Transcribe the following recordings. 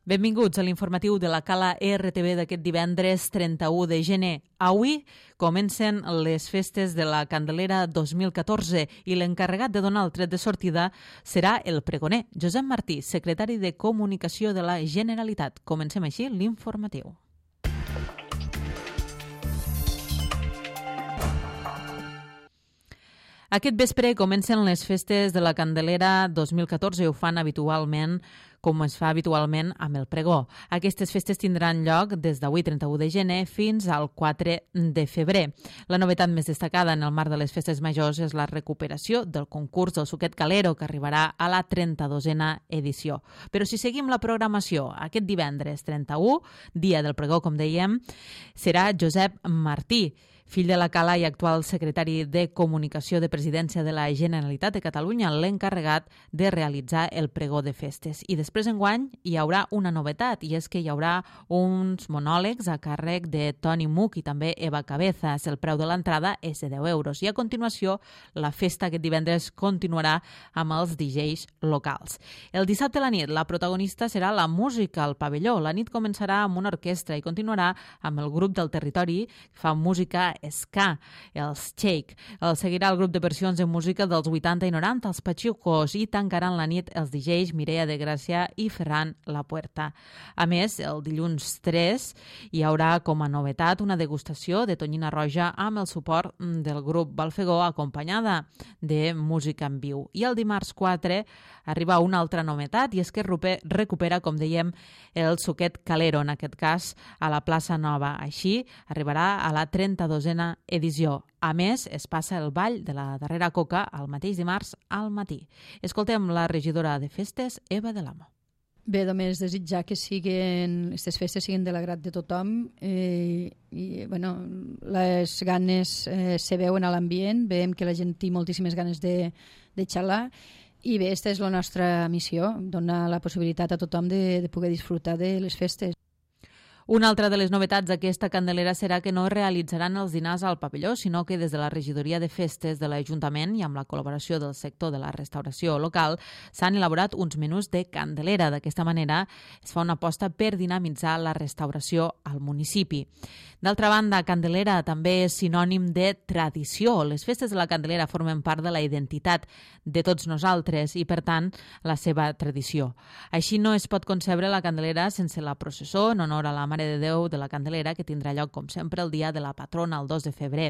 Benvinguts a l'informatiu de la Cala RTV d'aquest divendres 31 de gener. Avui comencen les festes de la Candelera 2014 i l'encarregat de donar el tret de sortida serà el pregoner, Josep Martí, secretari de Comunicació de la Generalitat. Comencem així l'informatiu. Aquest vespre comencen les festes de la Candelera 2014 i ho fan habitualment, com es fa habitualment amb el pregó. Aquestes festes tindran lloc des d'avui 31 de gener fins al 4 de febrer. La novetat més destacada en el marc de les festes majors és la recuperació del concurs del Suquet Calero, que arribarà a la 32a edició. Però si seguim la programació, aquest divendres 31, dia del pregó, com dèiem, serà Josep Martí, fill de la Cala i actual secretari de Comunicació de Presidència de la Generalitat de Catalunya, l'encarregat de realitzar el pregó de festes. I després enguany hi haurà una novetat, i és que hi haurà uns monòlegs a càrrec de Toni Muc i també Eva Cabezas. El preu de l'entrada és de 10 euros. I a continuació, la festa aquest divendres continuarà amb els DJs locals. El dissabte a la nit, la protagonista serà la música al pavelló. La nit començarà amb una orquestra i continuarà amb el grup del territori que fa música ska, els Shake. El seguirà el grup de versions de música dels 80 i 90, els Pachucos, i tancaran la nit els DJs Mireia de Gràcia i Ferran Lapuerta. A més, el dilluns 3 hi haurà com a novetat una degustació de tonyina roja amb el suport del grup Balfegó, acompanyada de música en viu. I el dimarts 4 arriba una altra novetat, i és que recupera, com dèiem, el Suquet Calero, en aquest cas a la plaça Nova. Així arribarà a la 32a edició. A més, es passa el ball de la darrera coca el mateix dimarts al matí. Escoltem la regidora de festes, Eva de l'Amo. Bé, només desitjar que aquestes festes siguin de l'agrat de tothom i les ganes se veuen a l'ambient, veiem que la gent té moltíssimes ganes de xalar i bé, aquesta és la nostra missió, donar la possibilitat a tothom de poder disfrutar de les festes. Una altra de les novetats d'aquesta Candelera serà que no es realitzaran els dinars al pavelló, sinó que des de la regidoria de festes de l'Ajuntament i amb la col·laboració del sector de la restauració local s'han elaborat uns menús de Candelera. D'aquesta manera es fa una aposta per dinamitzar la restauració al municipi. D'altra banda, Candelera també és sinònim de tradició. Les festes de la Candelera formen part de la identitat de tots nosaltres i, per tant, la seva tradició. Així no es pot concebre la Candelera sense la processó en honor a la Mare de Déu de la Candelera, que tindrà lloc, com sempre, el dia de la patrona, el 2 de febrer.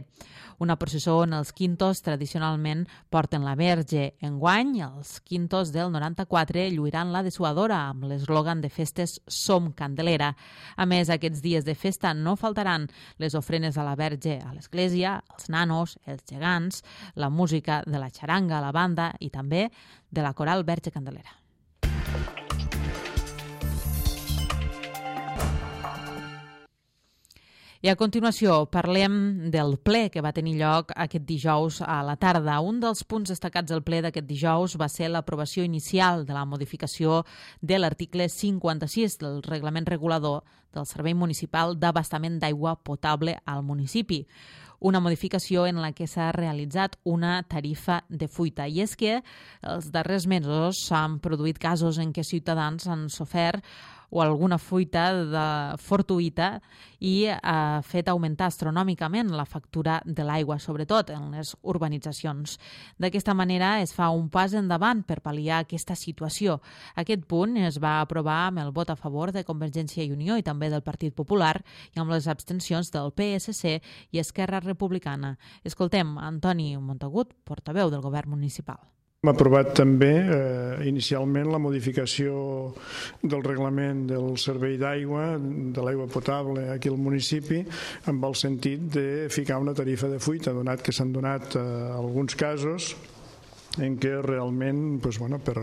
Una processó on els quintos tradicionalment porten la Verge. Enguany, els quintos del 94 lluiran la dessuadora amb l'eslògan de festes Som Candelera. A més, aquests dies de festa no faltaran les ofrenes a la Verge a l'església, els nanos, els gegants, la música de la xaranga, la banda i també de la coral Verge Candelera. I a continuació parlem del ple que va tenir lloc aquest dijous a la tarda. Un dels punts destacats del ple d'aquest dijous va ser l'aprovació inicial de la modificació de l'article 56 del reglament regulador del Servei Municipal d'Abastament d'Aigua Potable al municipi. Una modificació en la que s'ha realitzat una tarifa de fuita. I és que els darrers mesos s'han produït casos en què ciutadans han sofert o alguna fuita fortuïta i ha fet augmentar astronòmicament la factura de l'aigua, sobretot en les urbanitzacions. D'aquesta manera es fa un pas endavant per pal·liar aquesta situació. Aquest punt es va aprovar amb el vot a favor de Convergència i Unió i també del Partit Popular i amb les abstencions del PSC i Esquerra Republicana. Escoltem Antoni Montagut, portaveu del govern municipal. Hem aprovat també inicialment la modificació del reglament del servei d'aigua, de l'aigua potable aquí al municipi, amb el sentit de ficar una tarifa de fuita, donat que s'han donat alguns casos en què realment per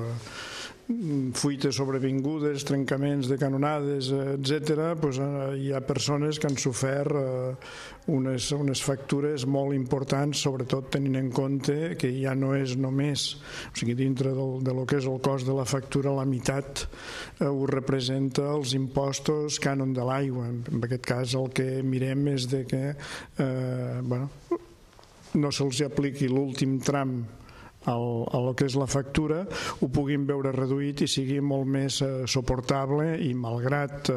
fuites sobrevingudes, trencaments de canonades, etc., hi ha persones que han sofert unes factures molt importants, sobretot tenint en compte que ja no és només, dintre de lo que és el cost de la factura, la meitat ho representa els impostos cànon de l'aigua. En aquest cas el que mirem és que no se'ls apliqui l'últim tram el que és la factura ho puguin veure reduït i sigui molt més suportable, i malgrat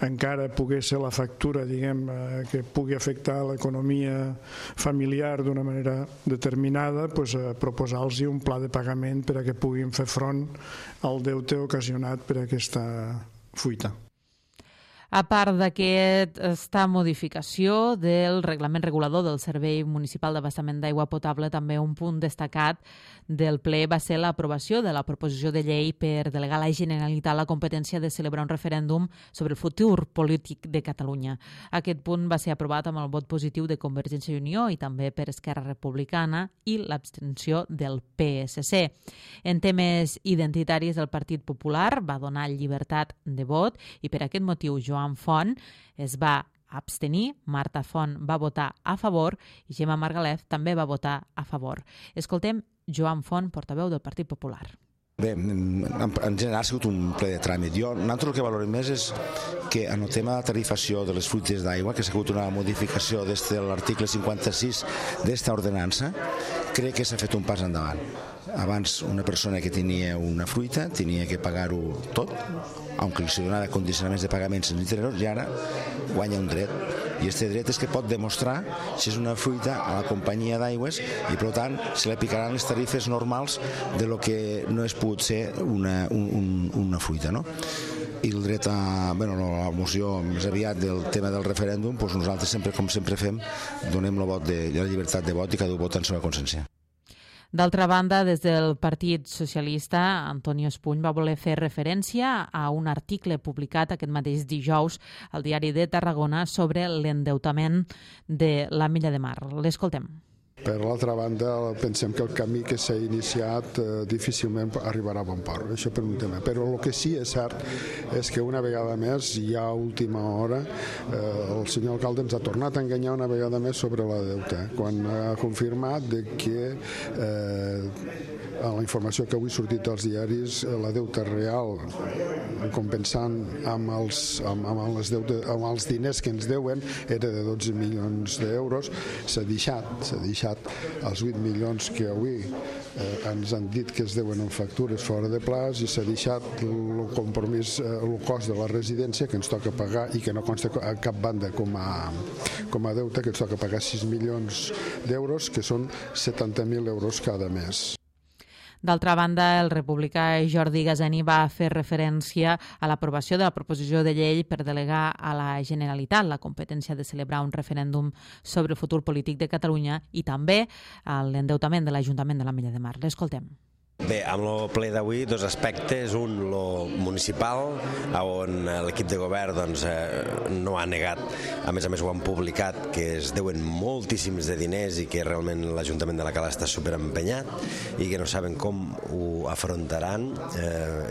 encara pugui ser la factura, diguem, que pugui afectar l'economia familiar d'una manera determinada, doncs, proposar-los un pla de pagament per a que puguin fer front al deute ocasionat per aquesta fuita. A part d'aquesta modificació del reglament regulador del Servei Municipal d'Abastament d'Aigua Potable, també un punt destacat del ple va ser l'aprovació de la proposició de llei per delegar a la Generalitat la competència de celebrar un referèndum sobre el futur polític de Catalunya. Aquest punt va ser aprovat amb el vot positiu de Convergència i Unió i també per Esquerra Republicana i l'abstenció del PSC. En temes identitaris, el Partit Popular va donar llibertat de vot i per aquest motiu Joan Font es va abstenir, Marta Font va votar a favor i Gemma Margalef també va votar a favor. Escoltem Joan Font, portaveu del Partit Popular. Bé, en general ha sigut un ple de tràmit. Nosaltres el que valorem més és que en el tema de la tarifació de les fruites d'aigua, que s'ha hagut una modificació des de l'article 56 d'esta ordenança, crec que s'ha fet un pas endavant. Abans una persona que tenia una fruita tenia que pagar-ho tot, aunque se donava condicionaments de pagament sense interessos, i ara guanya un dret. I aquest dret és que pot demostrar si és una fruita a la companyia d'aigües i, per tant, se li aplicaran les tarifes normals de lo que no és pogut ser una fruita, no? I el dret a la moció més aviat del tema del referèndum, doncs nosaltres sempre, com sempre fem, donem la llibertat de vot i cada un vota en seva consciència. D'altra banda, des del Partit Socialista, Antonio Espuny va voler fer referència a un article publicat aquest mateix dijous al Diari de Tarragona sobre l'endeutament de la Milla de Mar. L'escoltem. Per l'altra banda, pensem que el camí que s'ha iniciat difícilment arribarà a bon port, això per un tema. Però el que sí és cert és que una vegada més, ja a última hora, el senyor alcalde ens ha tornat a enganyar una vegada més sobre la deuta, quan ha confirmat que la informació que avui ha sortit als diaris, la deuta real, compensant amb els diners que ens deuen, era de 12 milions d'euros, s'ha deixat els 8 milions que avui ens han dit que es deuen en factures fora de plaç, i s'ha deixat el compromís, el cost de la residència que ens toca pagar i que no consta a cap banda com a deute, que ens toca pagar 6 milions d'euros, que són 70.000 euros cada mes. D'altra banda, el republicà Jordi Gazeni va fer referència a l'aprovació de la proposició de llei per delegar a la Generalitat la competència de celebrar un referèndum sobre el futur polític de Catalunya i també a l'endeutament de l'Ajuntament de la Milla de Mar. L'escoltem. Bé, amb el ple d'avui, dos aspectes. Un, lo municipal, on l'equip de govern no ha negat, a més ho han publicat, que es deuen moltíssims de diners i que realment l'Ajuntament de la Cala està superempenyat i que no saben com ho afrontaran,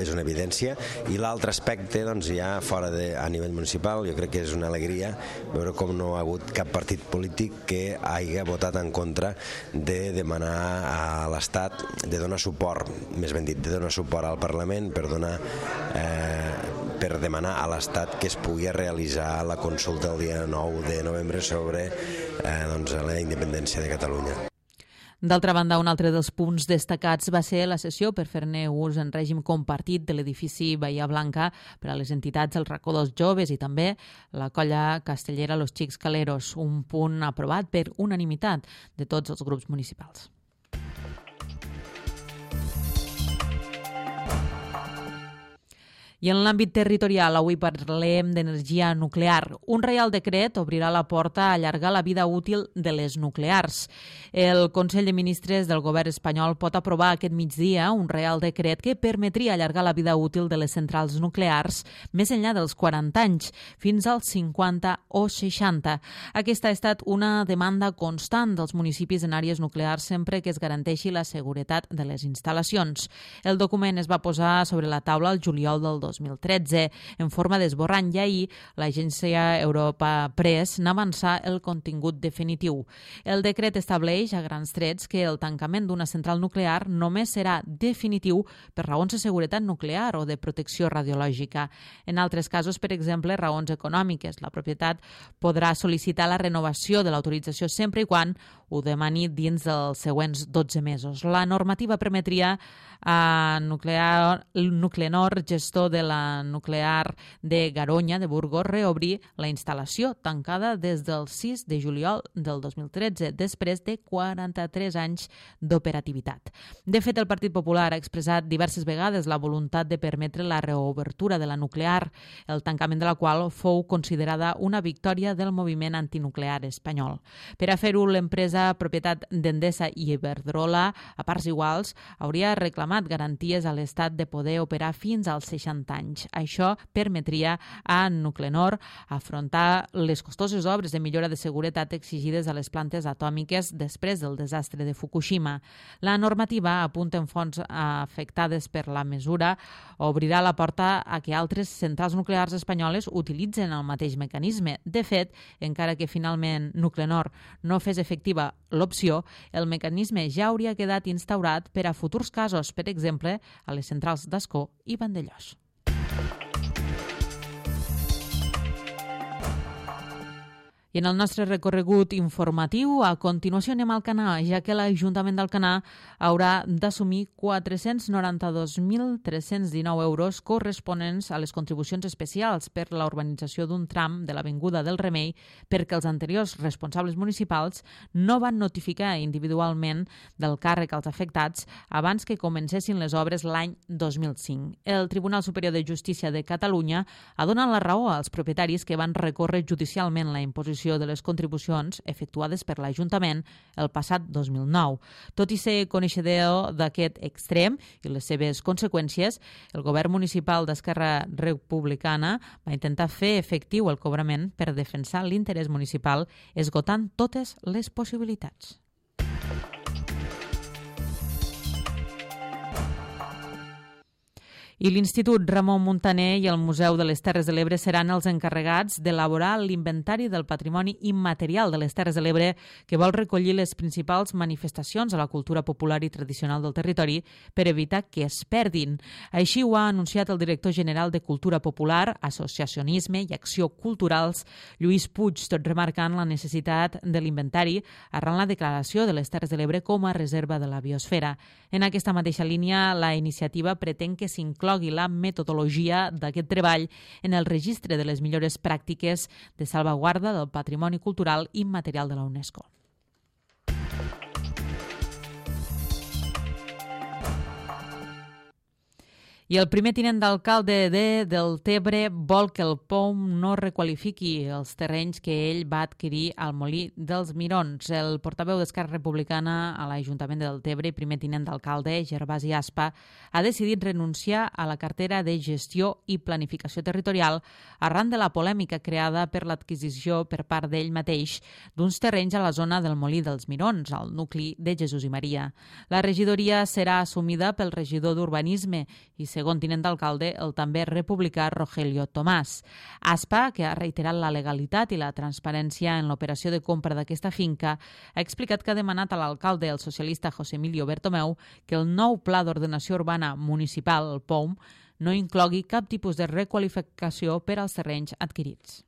és una evidència. I l'altre aspecte, ja fora a nivell municipal, jo crec que és una alegria veure com no ha hagut cap partit polític que hagi votat en contra de demanar a l'Estat de donar suport, més ben dit, de donar suport al Parlament per demanar a l'Estat que es pugui realitzar la consulta el dia 9 de novembre sobre la independència de Catalunya. D'altra banda, un altre dels punts destacats va ser la sessió per fer-ne ús en règim compartit de l'edifici Bahia Blanca per a les entitats del Racó dels Joves i també la colla castellera Los Xics Caleros, un punt aprovat per unanimitat de tots els grups municipals. I en l'àmbit territorial, avui parlem d'energia nuclear. Un reial decret obrirà la porta a allargar la vida útil de les nuclears. El Consell de Ministres del govern espanyol pot aprovar aquest migdia un reial decret que permetria allargar la vida útil de les centrals nuclears més enllà dels 40 anys, fins als 50 o 60. Aquesta ha estat una demanda constant dels municipis en àrees nuclears sempre que es garanteixi la seguretat de les instal·lacions. El document es va posar sobre la taula el juliol del 2013, en forma d'esborrany, i ahir l'agència Europa Press n'avança el contingut definitiu. El decret estableix a grans trets que el tancament d'una central nuclear només serà definitiu per raons de seguretat nuclear o de protecció radiològica. En altres casos, per exemple, raons econòmiques. La propietat podrà sol·licitar la renovació de l'autorització sempre i quan ho demani dins dels següents 12 mesos. La normativa permetria a Nuclenor, gestor de la nuclear de Garoña, de Burgos, reobrir la instal·lació tancada des del 6 de juliol del 2013, després de 43 anys d'operativitat. De fet, el Partit Popular ha expressat diverses vegades la voluntat de permetre la reobertura de la nuclear, el tancament de la qual fou considerada una victòria del moviment antinuclear espanyol. Per a fer-ho, l'empresa propietat d'Endesa i Iberdrola, a parts iguals, hauria reclamat garanties a l'Estat de poder operar fins als 60 anys. Això permetria a Nuclenor afrontar les costoses obres de millora de seguretat exigides a les plantes atòmiques després del desastre de Fukushima. La normativa, apunta en fonts afectades per la mesura, obrirà la porta a que altres centrals nuclears espanyoles utilitzen el mateix mecanisme. De fet, encara que finalment Nuclenor no fes efectiva l'opció, el mecanisme ja hauria quedat instaurat per a futurs casos, per exemple, a les centrals d'Ascó i Vandellòs. I en el nostre recorregut informatiu, a continuació anem al Canà, ja que l'Ajuntament d'Alcanar haurà d'assumir 492.319 euros corresponents a les contribucions especials per la urbanització d'un tram de l'Avinguda del Remei, perquè els anteriors responsables municipals no van notificar individualment del càrrec als afectats abans que comencessin les obres l'any 2005. El Tribunal Superior de Justícia de Catalunya ha donat la raó als propietaris que van recórrer judicialment la imposició de les contribucions efectuades per l'Ajuntament el passat 2009. Tot i ser coneixedor d'aquest extrem i les seves conseqüències, el govern municipal d'Esquerra Republicana va intentar fer efectiu el cobrament per defensar l'interès municipal, esgotant totes les possibilitats. I l'Institut Ramon Muntaner i el Museu de les Terres de l'Ebre seran els encarregats d'elaborar l'inventari del patrimoni immaterial de les Terres de l'Ebre, que vol recollir les principals manifestacions de la cultura popular i tradicional del territori per evitar que es perdin. Així ho ha anunciat el director general de Cultura Popular, Associacionisme i Acció Culturals, Lluís Puig, tot remarcant la necessitat de l'inventari arran la declaració de les Terres de l'Ebre com a reserva de la biosfera. En aquesta mateixa línia, la iniciativa pretén que s'inclogui la metodologia d'aquest treball en el registre de les millores pràctiques de salvaguarda del patrimoni cultural immaterial de la UNESCO. I el primer tinent d'alcalde de Deltebre vol que el POUM no requalifiqui els terrenys que ell va adquirir al Molí dels Mirons. El portaveu d'Esquerra Republicana a l'Ajuntament de Deltebre i primer tinent d'alcalde, Gervasi Aspa, ha decidit renunciar a la cartera de Gestió i Planificació Territorial arran de la polèmica creada per l'adquisició per part d'ell mateix d'uns terrenys a la zona del Molí dels Mirons, al nucli de Jesús i Maria. La regidoria serà assumida pel regidor d'Urbanisme i segon tinent d'alcalde, el també republicà Rogelio Tomàs. Aspa, que ha reiterat la legalitat i la transparència en l'operació de compra d'aquesta finca, ha explicat que ha demanat a l'alcalde, el socialista José Emilio Bertomeu, que el nou Pla d'Ordenació Urbana Municipal, el POUM, no inclogui cap tipus de requalificació per als terrenys adquirits.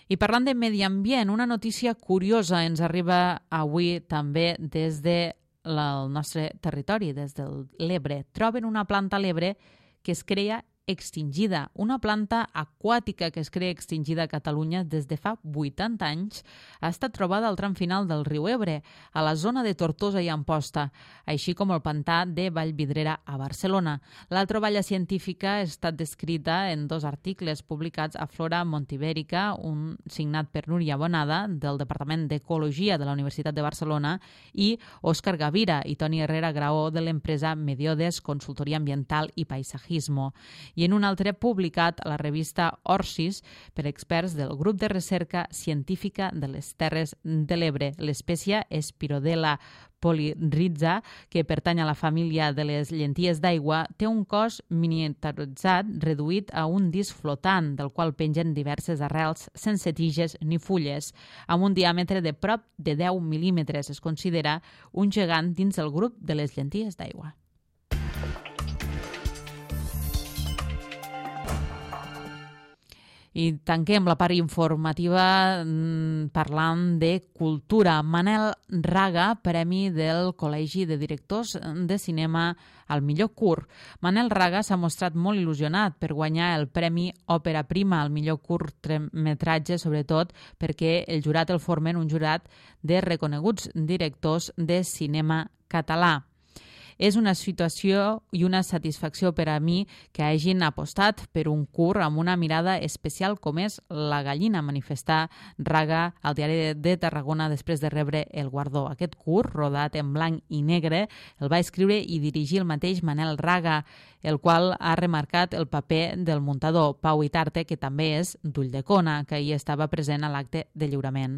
I parlant de medi ambient, una notícia curiosa ens arriba avui també des del nostre territori, des de l'Ebre. Troben una planta a l'Ebre que es crea extingida, una planta aquàtica que es crea extingida a Catalunya des de fa 80 anys, ha estat trobada al tram final del riu Ebre, a la zona de Tortosa i Amposta, així com el pantà de Vallvidrera a Barcelona. La troballa científica ha estat descrita en 2 articles publicats a Flora Montibèrica, un signat per Núria Bonada, del Departament d'Ecologia de la Universitat de Barcelona, i Òscar Gavira i Toni Herrera Graó, de l'empresa Mediodes Consultoria Ambiental i Paisajismo, i en un altre publicat a la revista Orsis per experts del Grup de Recerca Científica de les Terres de l'Ebre. L'espècie Spirodela Polyrhiza, que pertany a la família de les llenties d'aigua, té un cos miniaturitzat reduït a un disc flotant, del qual pengen diverses arrels sense tiges ni fulles. Amb un diàmetre de prop de 10 mil·límetres, es considera un gegant dins el grup de les llenties d'aigua. I tanquem la part informativa parlant de cultura. Manel Raga, premi del Col·legi de Directors de Cinema al millor curt. Manel Raga s'ha mostrat molt il·lusionat per guanyar el Premi Òpera Prima al millor curtmetratge, sobretot perquè el jurat el formen un jurat de reconeguts directors de cinema català. És una situació i una satisfacció per a mi que hagin apostat per un curt amb una mirada especial com és La gallina, manifestar Raga al Diari de Tarragona després de rebre el guardó. Aquest curt, rodat en blanc i negre, el va escriure i dirigir el mateix Manel Raga, el qual ha remarcat el paper del muntador Pau Itarte, que també és d'Ulldecona, que hi estava present a l'acte de lliurament.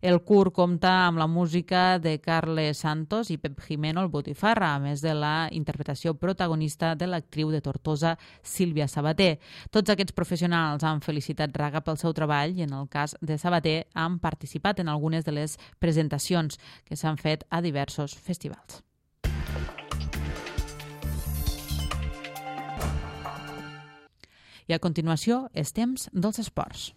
El curt compta amb la música de Carles Santos i Pep Jimeno, el Botifarra, a més de la interpretació protagonista de l'actriu de Tortosa, Sílvia Sabater. Tots aquests professionals han felicitat Raga pel seu treball i, en el cas de Sabater, han participat en algunes de les presentacions que s'han fet a diversos festivals. I a continuació, és temps dels esports.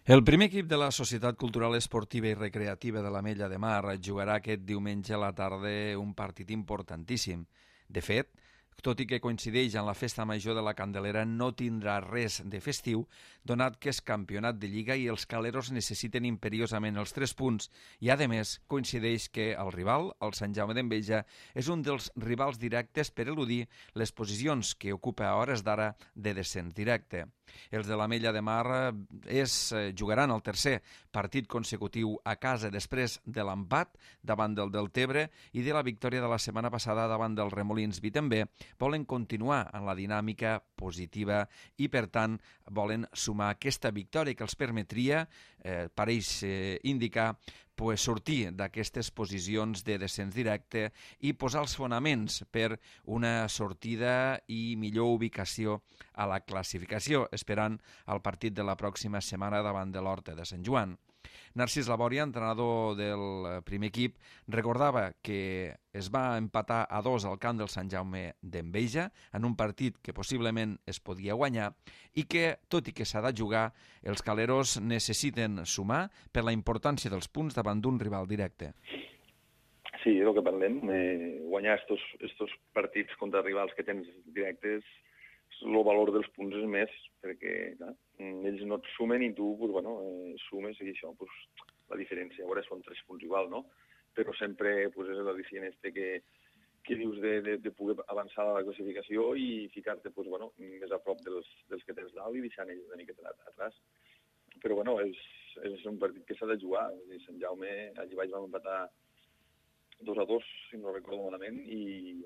El primer equip de la Societat Cultural Esportiva i Recreativa de l'Ametlla de Mar jugarà aquest diumenge a la tarda un partit importantíssim. De fet, tot i que coincideix en la festa major de la Candelera, no tindrà res de festiu, donat que és campionat de Lliga i els caleros necessiten imperiosament els 3 punts i, a més, coincideix que el rival, el Sant Jaume d'Enveja, és un dels rivals directes per eludir les posicions que ocupa a hores d'ara de descens directe. Els de l'Ametlla de Mar jugaran el tercer partit consecutiu a casa després de l'empat davant del Deltebre i de la victòria de la setmana passada davant del Remolins Vi. També volen continuar en la dinàmica positiva i, per tant, volen sumar aquesta victòria que els permetria, pareix indicar, sortir d'aquestes posicions de descens directe i posar els fonaments per una sortida i millor ubicació a la classificació, esperant el partit de la pròxima setmana davant de l'Horta de Sant Joan. Narcís Labòria, entrenador del primer equip, recordava que es va empatar a 2 al camp del Sant Jaume d'Enveja en un partit que possiblement es podia guanyar i que, tot i que s'ha de jugar, els caleros necessiten sumar per la importància dels punts davant d'un rival directe. Sí, és el que parlem. Guanyar estos partits contra rivals que tens directes, el valor dels punts és més, perquè clar, ells no et sumen i tu sumes i això, la diferència, ara són 3 punts igual, no? Però sempre és l'al·licient que dius de poder avançar a la classificació i ficar-te més a prop dels que tens dalt i deixant ells una miqueta atrás. Però és un partit que s'ha de jugar. Sant Jaume, allí baix vam empatar 2-2, si no recordo malament, i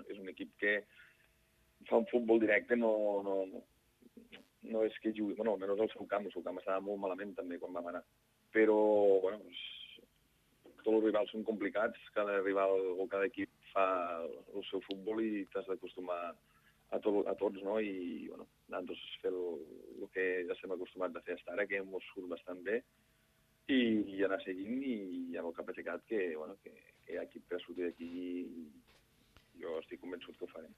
és un equip que fa un futbol directe, no és que jugui, almenys el seu camp estava molt malament també quan vam anar. Però, tots els rivals són complicats, cada rival o cada equip fa el seu futbol i t'has d'acostumar a tots, no? I, nosaltres fer el que ja estem acostumats a fer fins ara, que ens surt bastant bé, i anar seguint i amb el cap aixecat que hi ha equip per sortir d'aquí i jo estic convençut que ho farem.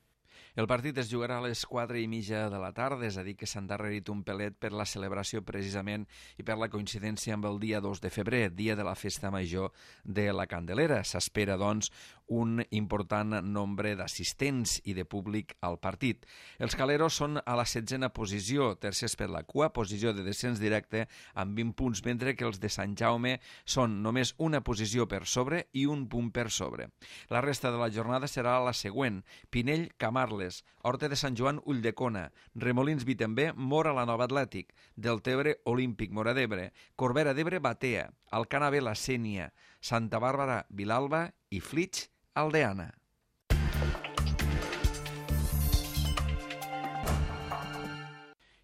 El partit es jugarà a les 4:30 de la tarda, és a dir, que s'ha endarrerit un pelet per la celebració precisament i per la coincidència amb el dia 2 de febrer, dia de la festa major de la Candelera. S'espera, doncs, un important nombre d'assistents i de públic al partit. Els caleros són a la 16a posició, tercers per la cua, posició de descens directe amb 20 punts, mentre que els de Sant Jaume són només una posició per sobre i un punt per sobre. La resta de la jornada serà la següent: Pinell, Camarles, Horta de Sant Joan, Ulldecona, Remolins Vi també, Mora la Nova Atlètic, Deltebre, Olímpic, Móra d'Ebre, Corbera d'Ebre, Batea, Alcana Vela, Sénia, Santa Bàrbara, Vilalba i Flix, Aldeana.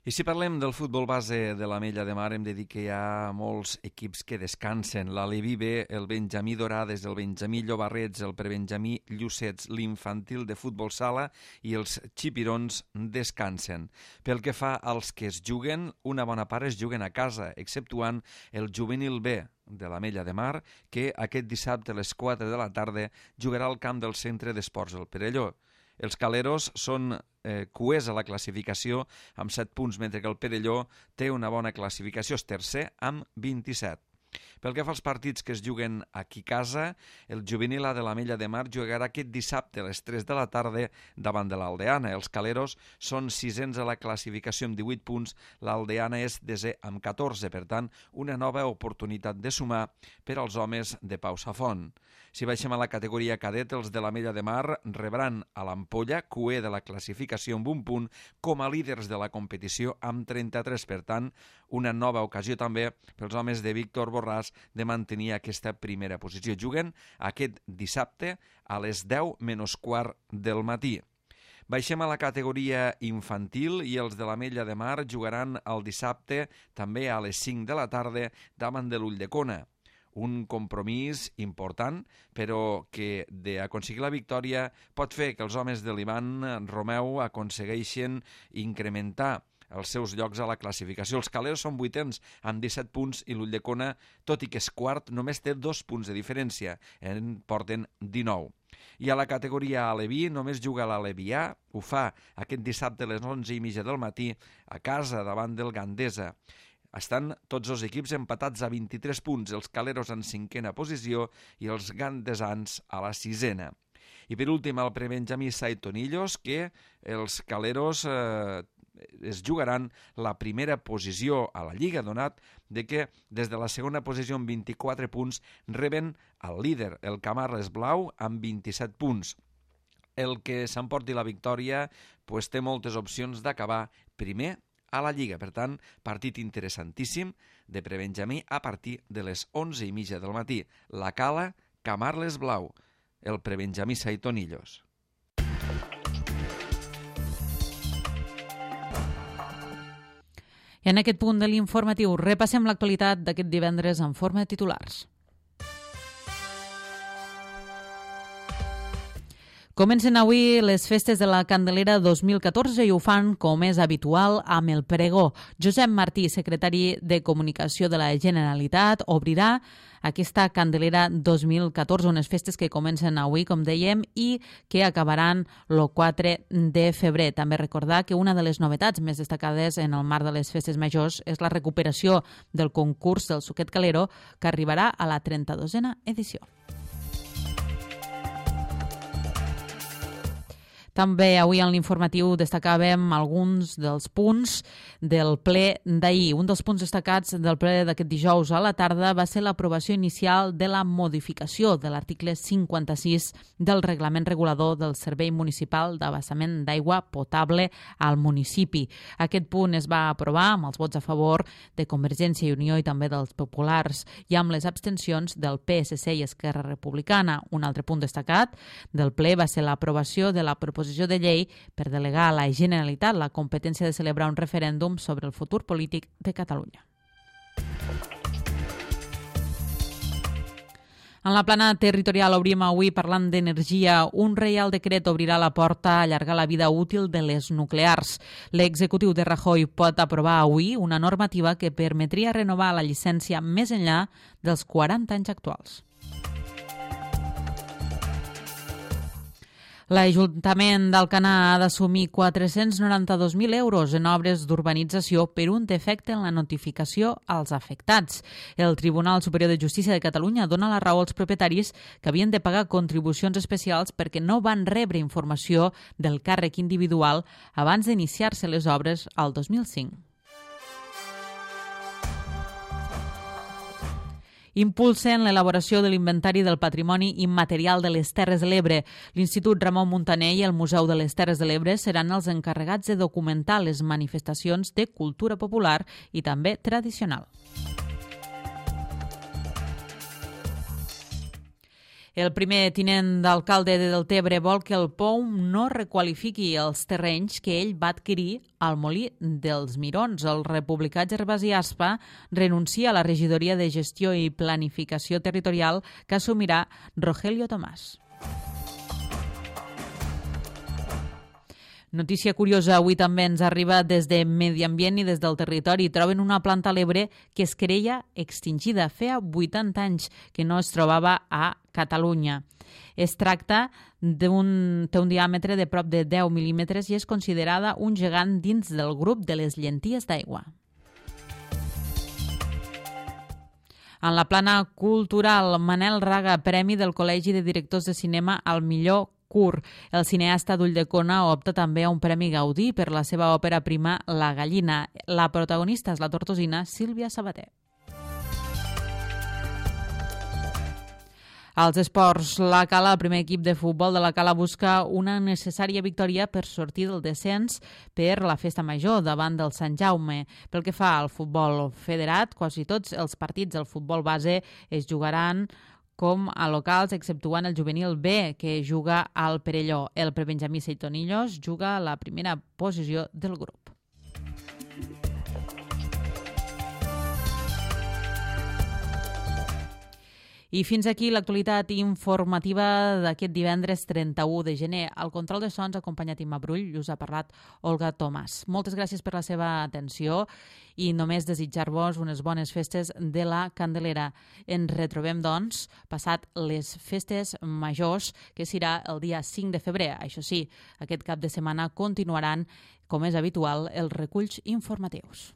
I si parlem del futbol base de l'Ametlla de Mar, hem de dir que hi ha molts equips que descansen. L'Aleví B, el Benjamí Dorades, el Benjamí Llobarrets, el Prebenjamí Llucets, l'infantil de futbol sala i els xipirons descansen. Pel que fa als que es juguen, una bona part es juguen a casa, exceptuant el juvenil B de l'Ametlla de Mar, que aquest dissabte a les 4 de la tarda jugarà al camp del Centre d'Esports del Perelló. Els caleros són cuers a la classificació amb 7 punts, mentre que el Perelló té una bona classificació, és tercer amb 27. Pel que fa als partits que es juguen aquí a casa, el juvenil A de l'Ametlla de Mar jugarà aquest dissabte a les 3 de la tarda davant de l'Aldeana. Els caleros són sisens a la classificació amb 18 punts, l'Aldeana és desè amb 14, per tant, una nova oportunitat de sumar per als homes de Pau Safont. Si baixem a la categoria cadet, els de l'Ametlla de Mar rebran a l'Ampolla, cuer de la classificació amb un punt, com a líders de la competició amb 33. Per tant, una nova ocasió també pels homes de Víctor Borràs de mantenir aquesta primera posició. Juguen aquest dissabte a les 10 menys quart del matí. Baixem a la categoria infantil i els de l'Ametlla de Mar jugaran el dissabte també a les 5 de la tarda davant de l'Ulldecona. Un compromís important, però que d'aconseguir la victòria pot fer que els homes de l'Ivan Romeu aconsegueixin incrementar els seus llocs a la classificació. Els caleros són 8ens amb 17 punts i l'Ulldecona, tot i que és quart, només té 2 punts de diferència, en porten 19. I a la categoria Aleví només juga l'Aleví A, ho fa aquest dissabte a les 11:30 del matí a casa davant del Gandesa. Estan tots els equips empatats a 23 punts, els caleros en 5a posició i els gandesans a la 6a. I per últim el Prebenjamí Saitonillos, que els caleros es jugaran la primera posició a la Lliga, donat de que des de la segona posició amb 24 punts reben el líder, el Camarles Blau, amb 27 punts. El que s'emporti la victòria té moltes opcions d'acabar primer a la Lliga. Per tant, partit interessantíssim de Prebenjamí a partir de les 11:30 del matí. La Cala, Camarles Blau, el Prebenjamí Saitonillos. I en aquest punt de l'informatiu repassem l'actualitat d'aquest divendres en forma de titulars. Comencen avui les festes de la Candelera 2014 i ho fan, com és habitual, amb el pregó. Josep Martí, secretari de Comunicació de la Generalitat, obrirà aquesta Candelera 2014, unes festes que comencen avui, com dèiem, i que acabaran el 4 de febrer. També recordar que una de les novetats més destacades en el marc de les festes majors és la recuperació del concurs del Suquet Calero, que arribarà a la 32a edició. També avui en l'informatiu destacàvem alguns dels punts del ple d'ahir. Un dels punts destacats del ple d'aquest dijous a la tarda va ser l'aprovació inicial de la modificació de l'article 56 del Reglament Regulador del Servei Municipal d'Abastament d'Aigua Potable al municipi. Aquest punt es va aprovar amb els vots a favor de Convergència i Unió i també dels populars i amb les abstencions del PSC i Esquerra Republicana. Un altre punt destacat del ple va ser l'aprovació de la proposició de llei per delegar a la Generalitat la competència de celebrar un referèndum sobre el futur polític de Catalunya. En la plana territorial obrim avui parlant d'energia. Un reial decret obrirà la porta a allargar la vida útil de les nuclears. L'executiu de Rajoy pot aprovar avui una normativa que permetria renovar la llicència més enllà dels 40 anys actuals. L'Ajuntament d'Alcanar ha d'assumir 492.000 euros en obres d'urbanització per un defecte en la notificació als afectats. El Tribunal Superior de Justícia de Catalunya dona la raó als propietaris que havien de pagar contribucions especials perquè no van rebre informació del càrrec individual abans d'iniciar-se les obres al 2005. Impulsen l'elaboració de l'inventari del patrimoni immaterial de les Terres de l'Ebre. L'Institut Ramon Muntaner i el Museu de les Terres de l'Ebre seran els encarregats de documentar les manifestacions de cultura popular i també tradicional. El primer tinent d'alcalde de Deltebre vol que el POUM no requalifiqui els terrenys que ell va adquirir al Molí dels Mirons. El republicà Gervasi Aspa renuncia a la regidoria de Gestió i Planificació Territorial que assumirà Rogelio Tomàs. Notícia curiosa avui també ens arriba des de Medi Ambient i des del territori. Troben una planta a l'Ebre que es creia extingida. Feia 80 anys que no es trobava a Catalunya. Es tracta té un diàmetre de prop de 10 mil·límetres i és considerada un gegant dins del grup de les llenties d'aigua. En la plana cultural, Manel Raga, Premi del Col·legi de Directors de Cinema al millor curt. El cineasta d'Ulldecona opta també a un Premi Gaudí per la seva òpera prima La gallina. La protagonista és la tortosina Sílvia Sabater. Als esports, la Cala, el primer equip de futbol de la Cala, busca una necessària victòria per sortir del descens per la festa major davant del Sant Jaume. Pel que fa al futbol federat, quasi tots els partits del futbol base es jugaran com a locals, exceptuant el juvenil B, que juga al Perelló. El prebenjamí Seitonillos juga a la primera posició del grup. I fins aquí l'actualitat informativa d'aquest divendres 31 de gener. Al control de sons ha acompanyat Imma Brull i us ha parlat Olga Tomàs. Moltes gràcies per la seva atenció i només desitjar-vos unes bones festes de la Candelera. Ens retrobem, doncs, passat les festes majors, que serà el dia 5 de febrer. Això sí, aquest cap de setmana continuaran, com és habitual, els reculls informatius.